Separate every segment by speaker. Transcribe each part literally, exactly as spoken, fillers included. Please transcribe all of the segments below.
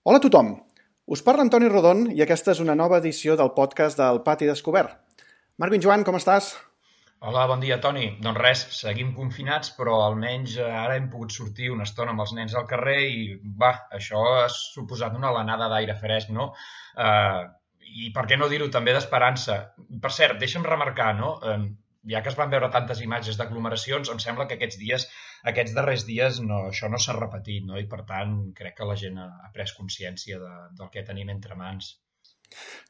Speaker 1: Hola a tothom! Us parla Antoni Rodon i aquesta és una nova edició del podcast del Pati Descobert. Marc Joan, com estàs?
Speaker 2: Hola, bon dia, Toni. Doncs res, seguim confinats, però almenys eh, ara hem pogut sortir una estona amb els nens al carrer i, va, això ha suposat una alenada d'aire fresc, no? Eh, I per què no dir-ho també d'esperança? Per cert, deixa'm remarcar, no? Eh, ja que es van veure tantes imatges d'aglomeracions, em sembla que aquests dies, aquests darrers dies, no, això no s'ha repetit, no? I per tant, crec que la gent ha, ha pres consciència de, del que tenim entre mans.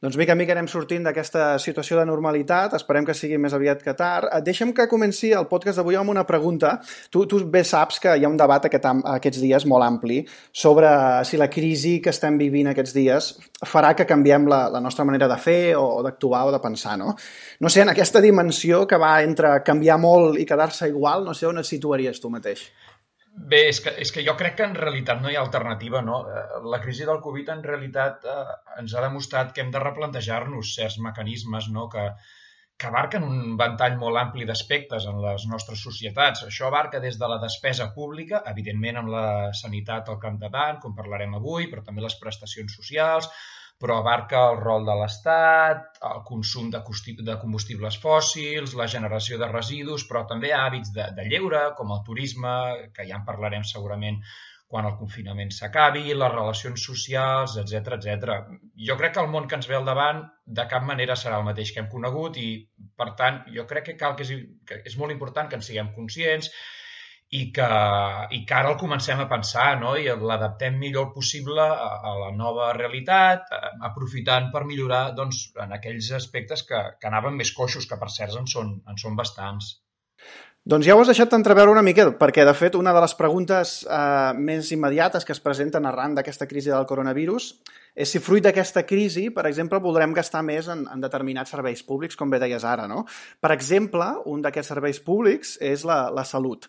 Speaker 1: Doncs mica en mica anem sortint d'aquesta situació de normalitat, esperem que sigui més aviat que tard. Eh, Deixa'm que comenci el podcast d'avui amb una pregunta. Tu, tu bé saps que hi ha un debat aquest, am- aquests dies molt ampli sobre si la crisi que estem vivint aquests dies farà que canviem la, la nostra manera de fer o, o d'actuar o de pensar, no? No sé, en aquesta dimensió que va entre canviar molt i quedar-se igual, no sé on et situaries tu mateix.
Speaker 2: Bé, és que, és que jo crec que en realitat no hi ha alternativa, no? Eh, La crisi del Covid en realitat eh, ens ha demostrat que hem de replantejar-nos certs mecanismes, no? que, que abarquen un ventall molt ampli d'aspectes en les nostres societats. Això abarca des de la despesa pública, evidentment amb la sanitat al capdavant, com parlarem avui, però també les prestacions socials, però abarca el rol de l'Estat, el consum de, de combustibles fòssils, la generació de residus, però també hàbits de, de lleure, com el turisme, que ja en parlarem segurament quan el confinament s'acabi, les relacions socials, etcètera, etcètera. Jo crec que el món que ens ve al davant de cap manera serà el mateix que hem conegut i, per tant, jo crec que cal que és, que és molt important que en siguem conscients i que, i que ara el comencem a pensar, no? I l'adaptem millor possible a, a la nova realitat, eh, aprofitant per millorar doncs, en aquells aspectes que, que anaven més coixos, que per cert en són, en són bastants.
Speaker 1: Doncs ja ho has deixat entreveure una mica, perquè de fet una de les preguntes eh, més immediates que es presenten arran d'aquesta crisi del coronavirus és si fruit d'aquesta crisi, per exemple, voldrem gastar més en, en determinats serveis públics, com bé deies ara, no? Per exemple, un d'aquests serveis públics és la, la salut.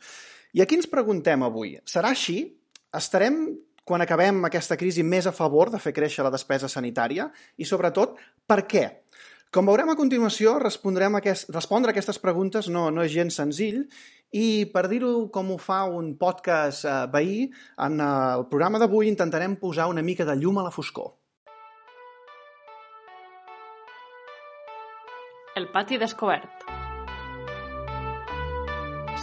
Speaker 1: I aquí ens preguntem avui, serà així? Estarem, quan acabem aquesta crisi, més a favor de fer créixer la despesa sanitària? I sobretot, per què? Com veurem a continuació, respondrem a aquest, respondre a aquestes preguntes no, no és gens senzill i per dir-ho com ho fa un podcast eh, veí, en eh, el programa d'avui intentarem posar una mica de llum a la foscor.
Speaker 3: El pati descobert.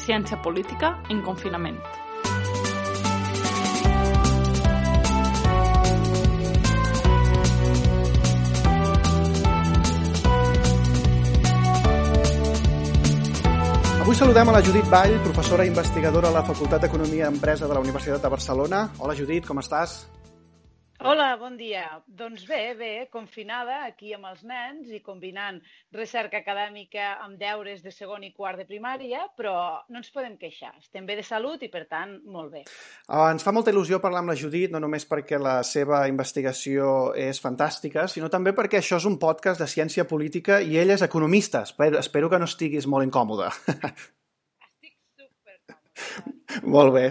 Speaker 3: Ciència política en confinament.
Speaker 1: Avui saludem a la Judit Vall, professora i investigadora a la Facultat d'Economia i Empresa de la Universitat de Barcelona. Hola Judit, com estàs?
Speaker 4: Hola, bon dia. Doncs bé, bé, confinada aquí amb els nens i combinant recerca acadèmica amb deures de segon i quart de primària, però no ens podem queixar. Estem bé de salut i, per tant, molt bé.
Speaker 1: Uh, ens fa molta il·lusió parlar amb la Judit, no només perquè la seva investigació és fantàstica, sinó també perquè això és un podcast de ciència política i ell és economista. Espero, espero que no estiguis molt incòmode.
Speaker 4: Estic supercòmoda.
Speaker 1: Molt bé.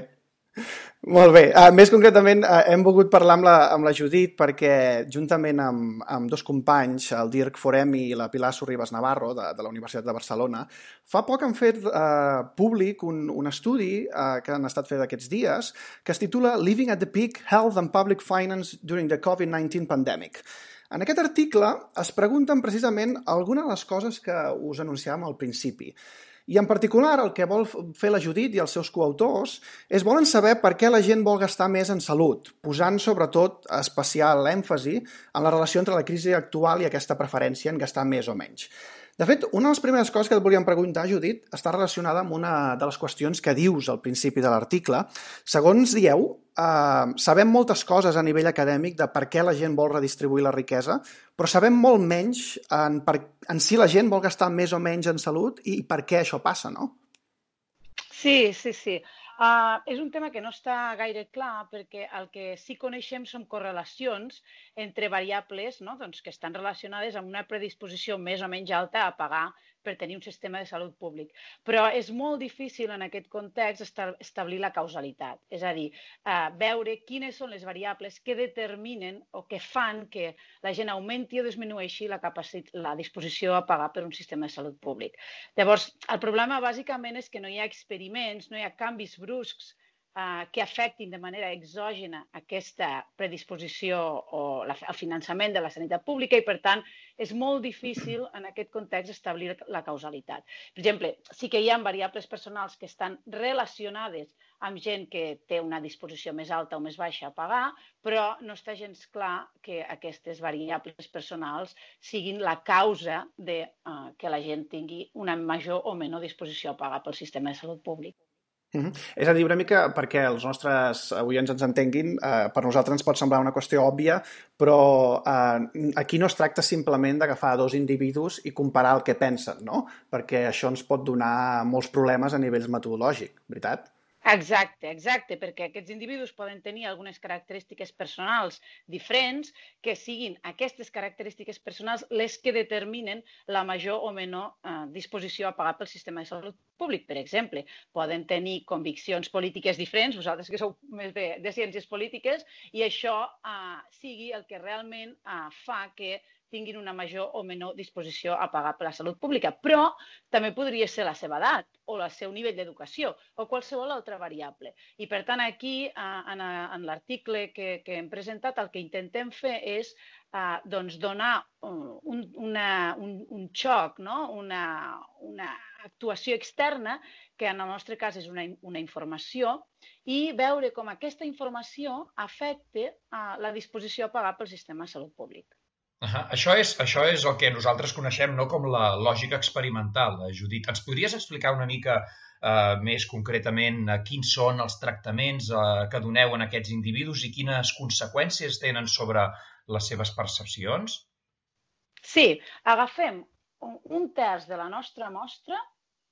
Speaker 1: Molt bé. Uh, més concretament, uh, hem volgut parlar amb la, amb la Judit perquè, juntament amb, amb dos companys, el Dirk Foremi i la Pilar Sorribas Navarro, de, de la Universitat de Barcelona, fa poc han fet uh, públic un, un estudi uh, que han estat fet aquests dies que es titula Living at the Peak, Health and Public Finance During the COVID nineteen Pandemic. En aquest article es pregunten precisament algunes de les coses que us anunciàvem al principi. I en particular el que vol fer la Judit i els seus coautors és volen saber per què la gent vol gastar més en salut, posant sobretot especial èmfasi en la relació entre la crisi actual i aquesta preferència en gastar més o menys. De fet, una de les primeres coses que et volíem preguntar, Judit, està relacionada amb una de les qüestions que dius al principi de l'article. Segons dieu, eh, sabem moltes coses a nivell acadèmic de per què la gent vol redistribuir la riquesa, però sabem molt menys en, per, en si la gent vol gastar més o menys en salut i per què això passa, no?
Speaker 4: Sí, sí, sí. Uh, és un tema que no està gaire clar perquè el que sí coneixem són correlacions entre variables, no? Doncs, que estan relacionades amb una predisposició més o menys alta a pagar per tenir un sistema de salut públic. Però és molt difícil en aquest context establir la causalitat, és a dir, uh, veure quines són les variables que determinen o que fan que la gent augmenti o disminueixi la, la disposició a pagar per un sistema de salut públic. Llavors, el problema bàsicament és que no hi ha experiments, no hi ha canvis bruscs eh, que afectin de manera exògena aquesta predisposició o la, el finançament de la sanitat pública i, per tant, és molt difícil en aquest context establir la causalitat. Per exemple, sí que hi ha variables personals que estan relacionades amb gent que té una disposició més alta o més baixa a pagar, però no està gens clar que aquestes variables personals siguin la causa de uh, que la gent tingui una major o menor disposició a pagar pel sistema de salut públic.
Speaker 1: Uh -huh. És a dir, una mica perquè els nostres oients ens entenguin, eh, per nosaltres ens pot semblar una qüestió òbvia, però eh, aquí no es tracta simplement d'agafar dos individus i comparar el que pensen, no? Perquè això ens pot donar molts problemes a nivell metodològic, veritat?
Speaker 4: Exacte, exacte, perquè aquests individus poden tenir algunes característiques personals diferents que siguin aquestes característiques personals les que determinen la major o menor eh, disposició a pagar pel sistema de salut públic. Per exemple, poden tenir conviccions polítiques diferents, vosaltres que sou més de, de ciències polítiques, i això eh, sigui el que realment eh, fa que tinguin una major o menor disposició a pagar per la salut pública. Però també podria ser la seva edat o el seu nivell d'educació o qualsevol altra variable. I, per tant, aquí, en, en l'article que, que hem presentat, el que intentem fer és eh, doncs donar un, una, un, un xoc, no? una, una actuació externa, que en el nostre cas és una, una informació, i veure com aquesta informació afecta eh, la disposició a pagar pel sistema de salut públic.
Speaker 2: Uh-huh. Això és, això és el que nosaltres coneixem, no?, com la lògica experimental, Judit. Ens podries explicar una mica eh, més concretament eh, quins són els tractaments eh, que doneu en aquests individus i quines conseqüències tenen sobre les seves percepcions?
Speaker 4: Sí, agafem un, un terç de la nostra mostra.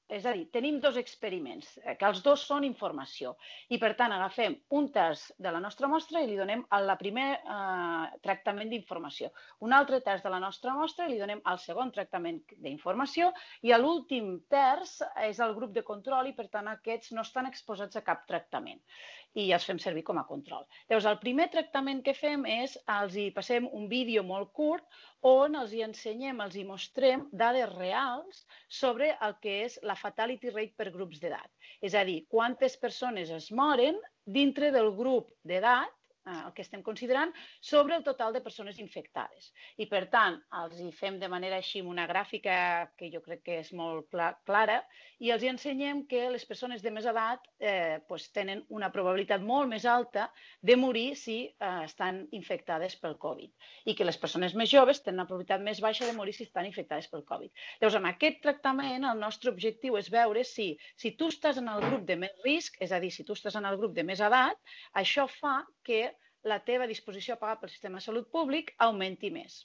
Speaker 4: És a dir, tenim dos experiments, que els dos són informació. I, per tant, agafem un terç de la nostra mostra i li donem el primer eh, tractament d'informació. Un altre terç de la nostra mostra i li donem el segon tractament d'informació i l'últim terç és el grup de control i, per tant, aquests no estan exposats a cap tractament i els fem servir com a control. Llavors, el primer tractament que fem és, els hi passem un vídeo molt curt on els hi ensenyem, els hi mostrem dades reals sobre el que és la fatality rate per grups d'edat. És a dir, quantes persones es moren dintre del grup d'edat, el que estem considerant, sobre el total de persones infectades. I, per tant, els hi fem de manera així una gràfica que jo crec que és molt clara i els hi ensenyem que les persones de més edat eh, pues, tenen una probabilitat molt més alta de morir si eh, estan infectades pel Covid i que les persones més joves tenen una probabilitat més baixa de morir si estan infectades pel Covid. Llavors, amb aquest tractament, el nostre objectiu és veure si, si tu estàs en el grup de més risc, és a dir, si tu estàs en el grup de més edat, això fa que la teva disposició a pagar pel sistema de salut públic augmenti més.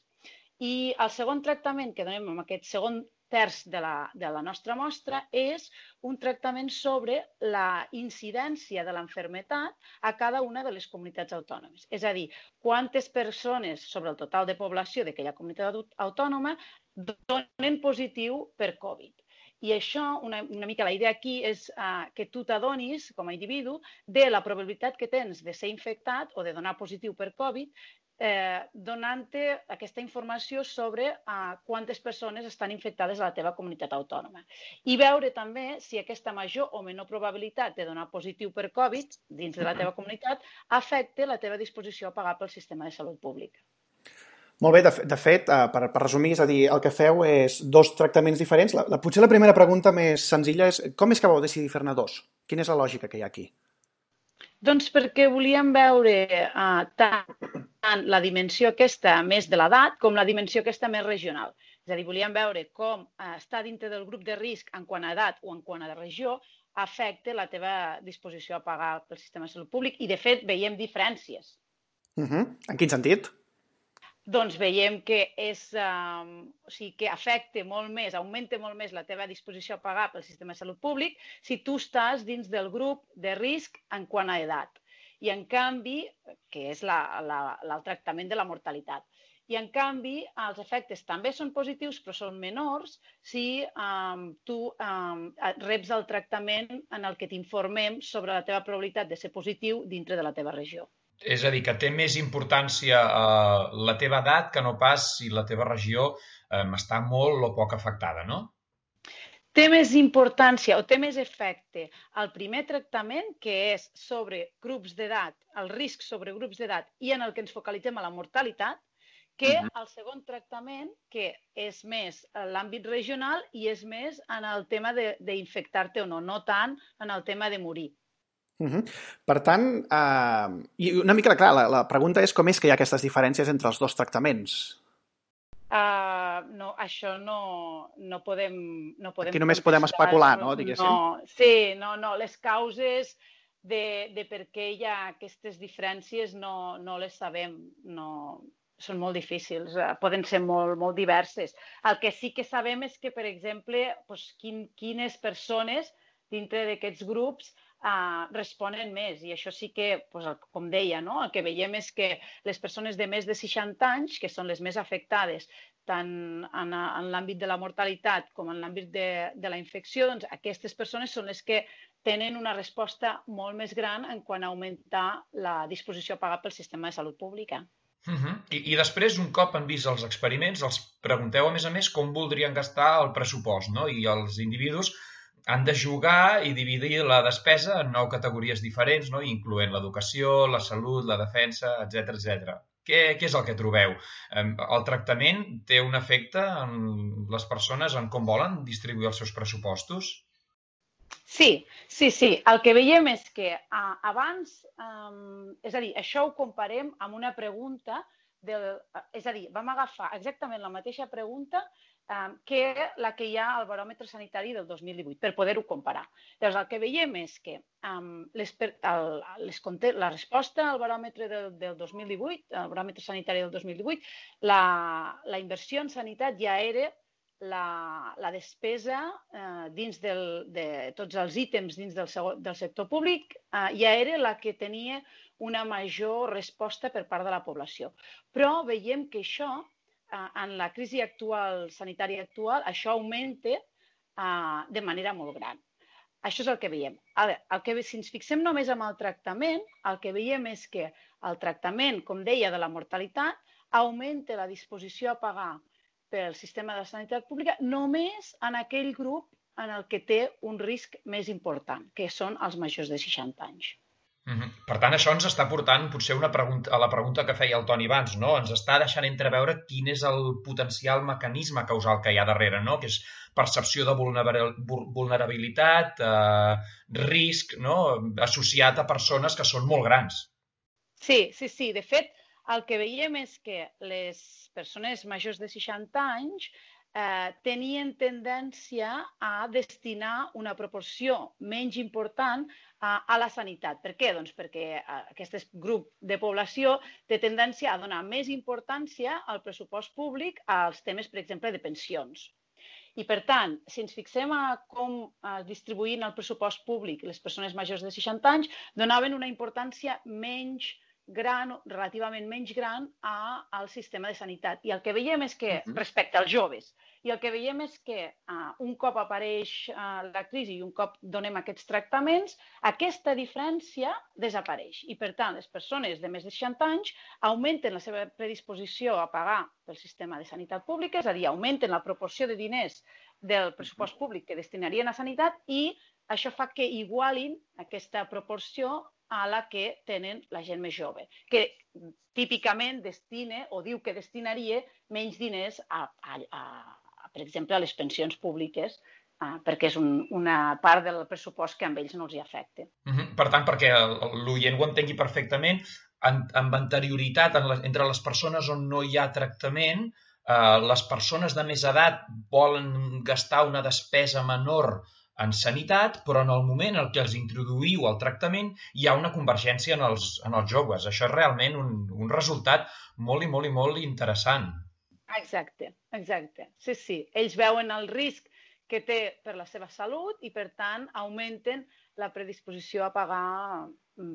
Speaker 4: I el segon tractament que donem amb aquest segon terç de la, de la nostra mostra és un tractament sobre la incidència de l'enfermetat a cada una de les comunitats autònomes. És a dir, quantes persones sobre el total de població d'aquella comunitat autònoma donen positiu per Covid. I això, una, una mica la idea aquí és uh, que tu t'adonis, com a individu, de la probabilitat que tens de ser infectat o de donar positiu per Covid, eh, donant-te aquesta informació sobre uh, quantes persones estan infectades a la teva comunitat autònoma. I veure també si aquesta major o menor probabilitat de donar positiu per Covid dins de la teva comunitat afecta la teva disposició a pagar pel sistema de salut públic.
Speaker 1: Molt bé, de, de fet, per, per resumir, és a dir, el que feu és dos tractaments diferents. La, la, potser la primera pregunta més senzilla és com és que vau decidir fer-ne dos? Quina és la lògica que hi ha aquí?
Speaker 4: Doncs perquè volíem veure uh, tant, tant la dimensió aquesta més de l'edat com la dimensió aquesta més regional. És a dir, volíem veure com uh, estar dintre del grup de risc en quant a edat o en quant a regió afecta la teva disposició a pagar pel sistema de salut públic i, de fet, veiem diferències.
Speaker 1: Uh -huh. En quin sentit?
Speaker 4: Doncs veiem que, és, um, o sigui, que afecta molt més, augmenta molt més la teva disposició a pagar pel sistema de salut públic si tu estàs dins del grup de risc en quant a edat. I, en canvi, que és la, la, el tractament de la mortalitat. I, en canvi, els efectes també són positius, però són menors si um, tu um, reps el tractament en el que t'informem sobre la teva probabilitat de ser positiu dintre de la teva regió.
Speaker 2: És a dir, que té més importància eh, la teva edat que no pas si la teva regió eh, està molt o poc afectada, no?
Speaker 4: té més importància o té més efecte el primer tractament, que és sobre grups d'edat, el risc sobre grups d'edat i en el que ens focalitzem a la mortalitat, que el segon tractament, que és més en l'àmbit regional i és més en el tema d'infectar-te o no, no tant en el tema de morir.
Speaker 1: Uh -huh. Per tant, uh, i una mica, clar, la, la pregunta és com és que hi ha aquestes diferències entre els dos tractaments?
Speaker 4: Uh, no, això no, no podem, no podem
Speaker 1: Aquí només podem especular, no, diguéssim?
Speaker 4: No, sí, no, no, les causes de, de per què hi ha aquestes diferències no, no les sabem, no... són molt difícils, poden ser molt, molt diverses. El que sí que sabem és que, per exemple, doncs, quin, quines persones dintre d'aquests grups eh, responen més. I això sí que, doncs, com deia, no? El que veiem és que les persones de més de seixanta anys, que són les més afectades tant en, en l'àmbit de la mortalitat com en l'àmbit de, de la infecció, doncs aquestes persones són les que tenen una resposta molt més gran en quant a augmentar la disposició a pagar pel sistema de salut pública.
Speaker 2: Uh -huh. I, I després, un cop han vist els experiments, els pregunteu, a més a més, com voldrien gastar el pressupost, no? I els individus han de jugar i dividir la despesa en nou categories diferents, no? Incloent l'educació, la salut, la defensa, etcètera, etcètera. Què, què és el que trobeu? El tractament té un efecte en les persones en com volen distribuir els seus pressupostos?
Speaker 4: Sí, sí, sí. El que veiem és que uh, abans, um, és a dir, això ho comparem amb una pregunta, del, uh, és a dir, vam agafar exactament la mateixa pregunta um, que la que hi ha al baròmetre sanitari del dos mil divuit, per poder-ho comparar. Llavors, el que veiem és que um, les, el, les, la resposta al baròmetre del, del dos mil divuit, al baròmetre sanitari del dos mil divuit, la, la inversió en sanitat ja era La, la despesa eh, dins del, de tots els ítems dins del, del sector públic eh, ja era la que tenia una major resposta per part de la població. Però veiem que això, eh, en la crisi actual, sanitària actual, això augmenta eh, de manera molt gran. Això és el que veiem. Ara, el que, si ens fixem només en el tractament, el que veiem és que el tractament, com deia, de la mortalitat, augmenta la disposició a pagar pel sistema de sanitat pública només en aquell grup en el que té un risc més important, que són els majors de seixanta anys.
Speaker 2: Mm-hmm. Per tant, això ens està portant potser una pregunta, a la pregunta que feia el Toni abans, no? Ens està deixant entreveure quin és el potencial mecanisme causal que hi ha darrere, no? Que és percepció de vulnerabilitat, eh, risc, no? Associat a persones que són molt grans.
Speaker 4: Sí, sí, sí. De fet, el que veiem és que les persones majors de seixanta anys eh, tenien tendència a destinar una proporció menys important a, a la sanitat. Per què? Doncs perquè aquest grup de població té tendència a donar més importància al pressupost públic als temes, per exemple, de pensions. I, per tant, si ens fixem a com eh, distribuint el pressupost públic les persones majors de seixanta anys, donaven una importància menys gran, relativament menys gran a, al sistema de sanitat. I el que veiem és que, respecte als joves, i el que veiem és que uh, un cop apareix uh, la crisi i un cop donem aquests tractaments, aquesta diferència desapareix. I, per tant, les persones de més de seixanta anys augmenten la seva predisposició a pagar pel sistema de sanitat pública, és a dir, augmenten la proporció de diners del pressupost públic que destinarien a sanitat i això fa que igualin aquesta proporció a la que tenen la gent més jove, que típicament destina o diu que destinaria menys diners, a, a, a, per exemple, a les pensions públiques, uh, perquè és un, una part del pressupost que a ells no els hi afecta.
Speaker 2: Mm-hmm. Per tant, perquè l'oient ho entengui perfectament, en, amb anterioritat en la, entre les persones on no hi ha tractament, eh, les persones de més edat volen gastar una despesa menor en sanitat, però en el moment en què els introduïu al tractament hi ha una convergència en els, en els joves. Això és realment un, un resultat molt i molt i molt interessant.
Speaker 4: Exacte, exacte. Sí, sí. Ells veuen el risc que té per la seva salut i, per tant, augmenten la predisposició a pagar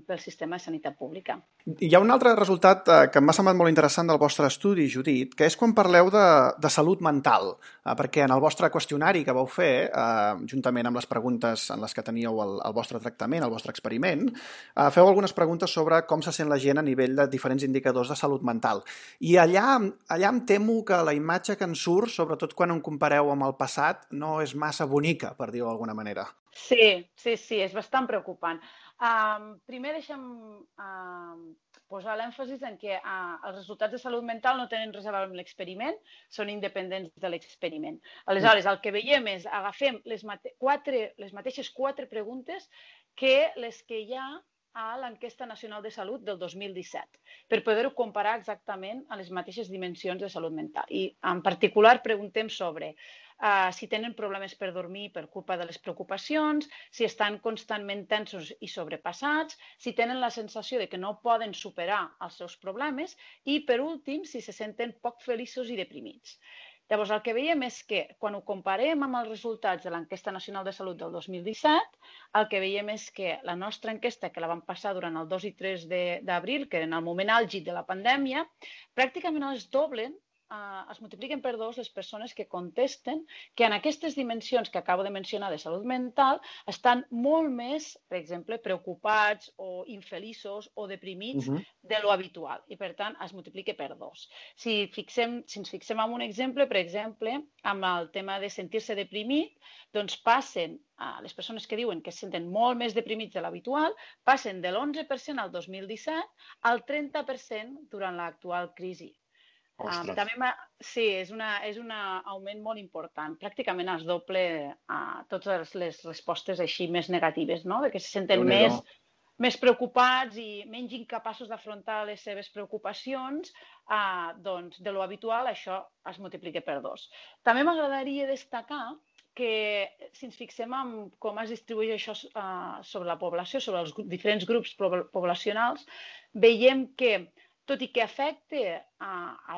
Speaker 4: pel sistema de sanitat pública.
Speaker 1: Hi ha un altre resultat eh, que m'ha semblat molt interessant del vostre estudi, Judit, que és quan parleu de, de salut mental, eh, perquè en el vostre qüestionari que vau fer, eh, juntament amb les preguntes en les que teníeu el, el vostre tractament, el vostre experiment, eh, feu algunes preguntes sobre com se sent la gent a nivell de diferents indicadors de salut mental. I allà, allà em temo que la imatge que en surt, sobretot quan en compareu amb el passat, no és massa bonica, per dir-ho d'alguna manera.
Speaker 4: Sí, sí, sí, és bastant preocupant. Um, primer deixa'm uh, posar l'èmfasis en que uh, els resultats de salut mental no tenen res a veure amb l'experiment, són independents de l'experiment. Aleshores, el que veiem és, agafem les, mate quatre, les mateixes quatre preguntes que les que hi ha a l'enquesta nacional de salut del dos mil disset, per poder-ho comparar exactament a les mateixes dimensions de salut mental. I en particular preguntem sobre Uh, si tenen problemes per dormir per culpa de les preocupacions, si estan constantment tensos i sobrepassats, si tenen la sensació de que no poden superar els seus problemes i, per últim, si se senten poc feliços i deprimits. Llavors, el que veiem és que, quan ho comparem amb els resultats de l'Enquesta Nacional de Salut del dos mil disset, el que veiem és que la nostra enquesta, que la vam passar durant el dos i tres d'abril, que era en el moment àlgid de la pandèmia, pràcticament es doblen, Uh, es multipliquen per dos les persones que contesten que en aquestes dimensions que acabo de mencionar de salut mental estan molt més, per exemple, preocupats o infeliços o deprimits uh-huh. de lo habitual i, per tant, es multiplica per dos. Si, fixem, si ens fixem en un exemple, per exemple, amb el tema de sentir-se deprimit, doncs passen, uh, les persones que diuen que es senten molt més deprimits de l'habitual, passen de l'onze per cent al dos mil disset al trenta per cent durant l'actual crisi. Um, també sí, és un és una augment molt important. Pràcticament es doble uh, totes les respostes així més negatives, no? De que se senten més, més preocupats i menys incapaços d'afrontar les seves preocupacions, uh, doncs de lo habitual això es multiplica per dos. També m'agradaria destacar que si ens fixem en com es distribueix això uh, sobre la població, sobre els diferents grups poblacionals, veiem que tot i que afecta a, a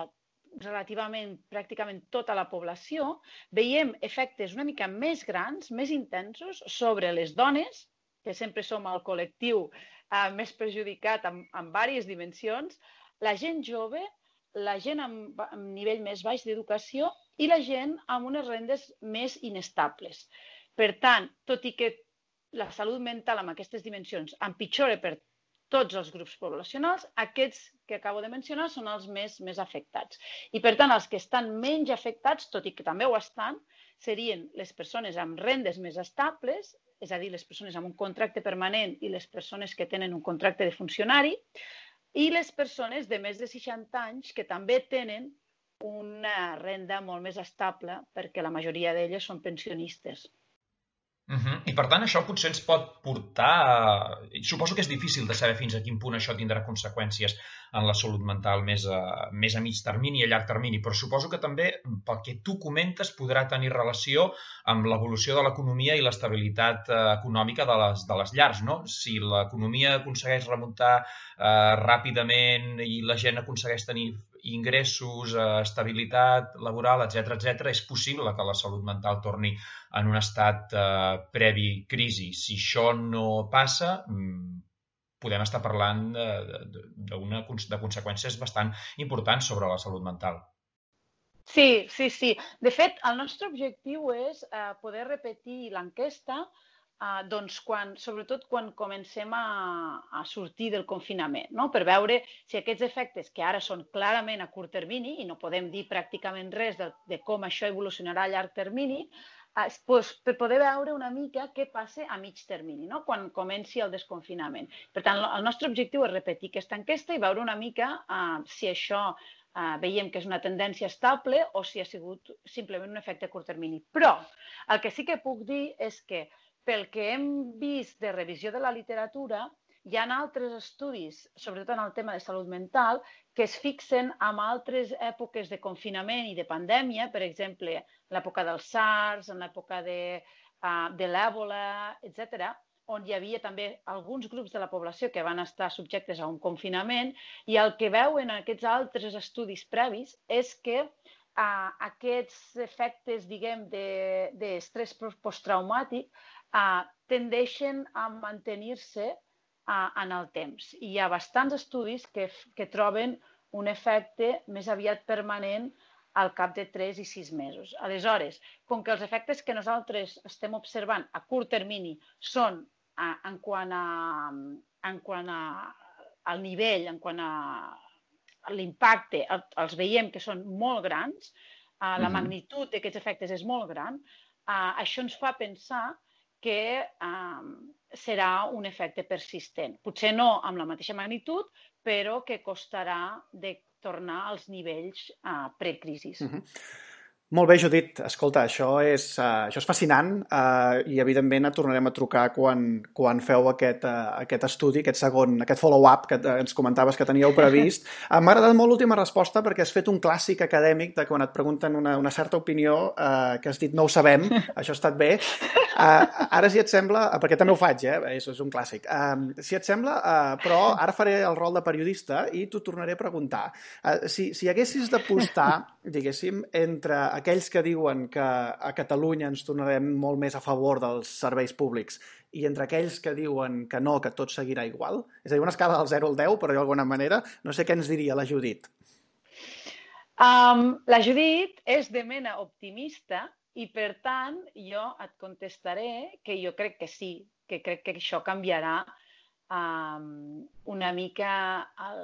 Speaker 4: relativament pràcticament tota la població, veiem efectes una mica més grans, més intensos sobre les dones, que sempre som el col·lectiu eh, més perjudicat en, en diverses dimensions, la gent jove, la gent amb, amb nivell més baix d'educació i la gent amb unes rendes més inestables. Per tant, tot i que la salut mental amb aquestes dimensions empitjora per tots els grups poblacionals, aquests que acabo de mencionar són els més, més afectats. I, per tant, els que estan menys afectats, tot i que també ho estan, serien les persones amb rendes més estables, és a dir, les persones amb un contracte permanent i les persones que tenen un contracte de funcionari, i les persones de més de seixanta anys que també tenen una renda molt més estable perquè la majoria d'elles són pensionistes.
Speaker 2: Uh-huh. I per tant això potser ens pot portar a... Suposo que és difícil de saber fins a quin punt això tindrà conseqüències en la salut mental més a, més a mig termini i a llarg termini, però suposo que també, pel que tu comentes, podrà tenir relació amb l'evolució de l'economia i l'estabilitat eh, econòmica de les, de les llars, no? Si l'economia aconsegueix remuntar eh, ràpidament i la gent aconsegueix tenir ingressos, eh, estabilitat laboral, etcètera, etcètera, és possible que la salut mental torni en un estat eh, previ crisi. Si això no passa, podem estar parlant de, de, de, una, de conseqüències bastant importants sobre la salut mental.
Speaker 4: Sí, sí, sí. De fet, el nostre objectiu és eh, poder repetir l'enquesta Uh, doncs quan, sobretot quan comencem a, a sortir del confinament, no? Per veure si aquests efectes, que ara són clarament a curt termini i no podem dir pràcticament res de, de com això evolucionarà a llarg termini, uh, doncs, per poder veure una mica què passa a mig termini, no? Quan comenci el desconfinament. Per tant, el nostre objectiu és repetir aquesta enquesta i veure una mica uh, si això uh, veiem que és una tendència estable o si ha sigut simplement un efecte a curt termini. Però el que sí que puc dir és que pel que hem vist de revisió de la literatura, hi ha altres estudis, sobretot en el tema de salut mental, que es fixen en altres èpoques de confinament i de pandèmia, per exemple, en l'època del SARS, en l'època de, uh, de l'èbola, etcètera, on hi havia també alguns grups de la població que van estar subjectes a un confinament, i el que veuen en aquests altres estudis previs és que uh, aquests efectes, diguem, d'estrès posttraumàtic Uh, tendeixen a mantenir-se uh, en el temps. I hi ha bastants estudis que, que troben un efecte més aviat permanent al cap de tres i sis mesos. Aleshores, com que els efectes que nosaltres estem observant a curt termini són uh, en quant a, en quant a al nivell, en quant a l'impacte, els veiem que són molt grans, uh, la magnitud d'aquests efectes és molt gran, uh, això ens fa pensar que uh, serà un efecte persistent. Potser no amb la mateixa magnitud, però que costarà de tornar als nivells uh, precrisis.
Speaker 1: Uh-huh. Molt bé, Judit. Escolta, això és, uh, això és fascinant uh, i, evidentment, et tornarem a trucar quan, quan feu aquest, uh, aquest estudi, aquest segon, aquest follow-up que uh, ens comentaves que teníeu previst. Uh, M'ha agradat molt l'última resposta perquè has fet un clàssic acadèmic de quan et pregunten una, una certa opinió uh, que has dit no ho sabem, això ha estat bé. Uh, ara, si et sembla, perquè també ho faig, eh? És, és un clàssic. Uh, si et sembla, uh, però ara faré el rol de periodista i t'ho tornaré a preguntar. Uh, si, si haguessis d'apostar, diguéssim, entre aquells que diuen que a Catalunya ens tornarem molt més a favor dels serveis públics i entre aquells que diuen que no, que tot seguirà igual, és a dir, una escala del zero al deu, però d'alguna manera, no sé què ens diria la Judit.
Speaker 4: Um, la Judit és de mena optimista i, per tant, jo et contestaré que jo crec que sí, que crec que això canviarà um, una mica el,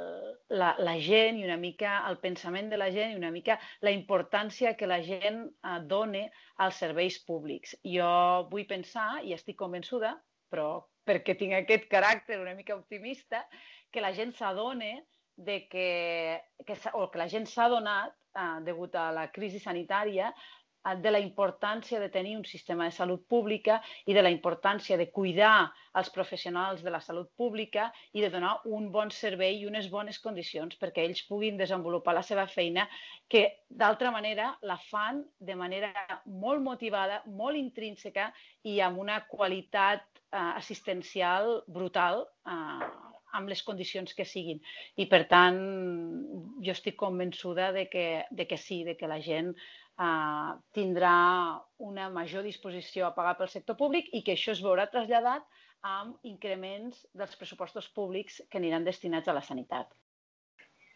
Speaker 4: la, la gent i una mica el pensament de la gent i una mica la importància que la gent uh, dona als serveis públics. Jo vull pensar, i estic convençuda, però perquè tinc aquest caràcter una mica optimista, que la gent s'adona de que, que, o que la gent s'ha donat, uh, degut a la crisi sanitària, de la importància de tenir un sistema de salut pública i de la importància de cuidar els professionals de la salut pública i de donar un bon servei i unes bones condicions perquè ells puguin desenvolupar la seva feina, que d'altra manera la fan de manera molt motivada, molt intrínseca i amb una qualitat eh, assistencial brutal eh, amb les condicions que siguin. I, per tant, jo estic convençuda de que, de que sí, de que la gent Uh, tindrà una major disposició a pagar pel sector públic i que això es veurà traslladat amb increments dels pressupostos públics que aniran destinats a la sanitat.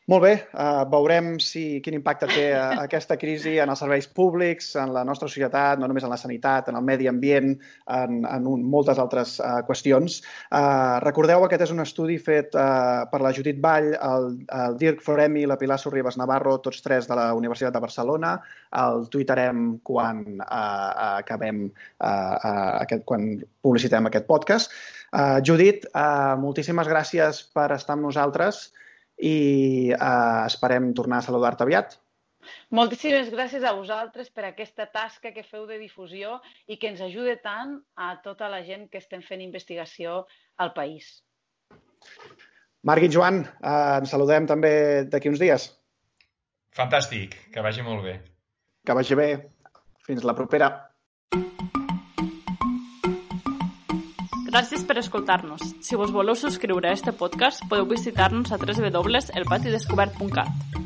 Speaker 1: Molt bé, uh, veurem si, quin impacte té uh, aquesta crisi en els serveis públics, en la nostra societat, no només en la sanitat, en el medi ambient, en, en un, moltes altres uh, qüestions. Uh, recordeu, aquest és un estudi fet uh, per la Judit Vall, el, el Dirk Foremi i la Pilar Sorribas Navarro, tots tres de la Universitat de Barcelona. El tuitarem quan uh, acabem, uh, uh, aquest, quan publicitem aquest podcast. Uh, Judit, uh, moltíssimes gràcies per estar amb nosaltres i eh, esperem tornar a saludar-te aviat.
Speaker 4: Moltíssimes gràcies a vosaltres per aquesta tasca que feu de difusió i que ens ajuda tant a tota la gent que estem fent investigació al país.
Speaker 1: Marc i Joan, eh, ens saludem també d'aquí uns dies.
Speaker 2: Fantàstic, que vagi molt bé.
Speaker 1: Que vagi bé. Fins la propera.
Speaker 3: Gràcies per escoltar-nos. Si vos voleu subscriure a este podcast, podeu visitar-nos a w w w punt el pati descobert punt cat.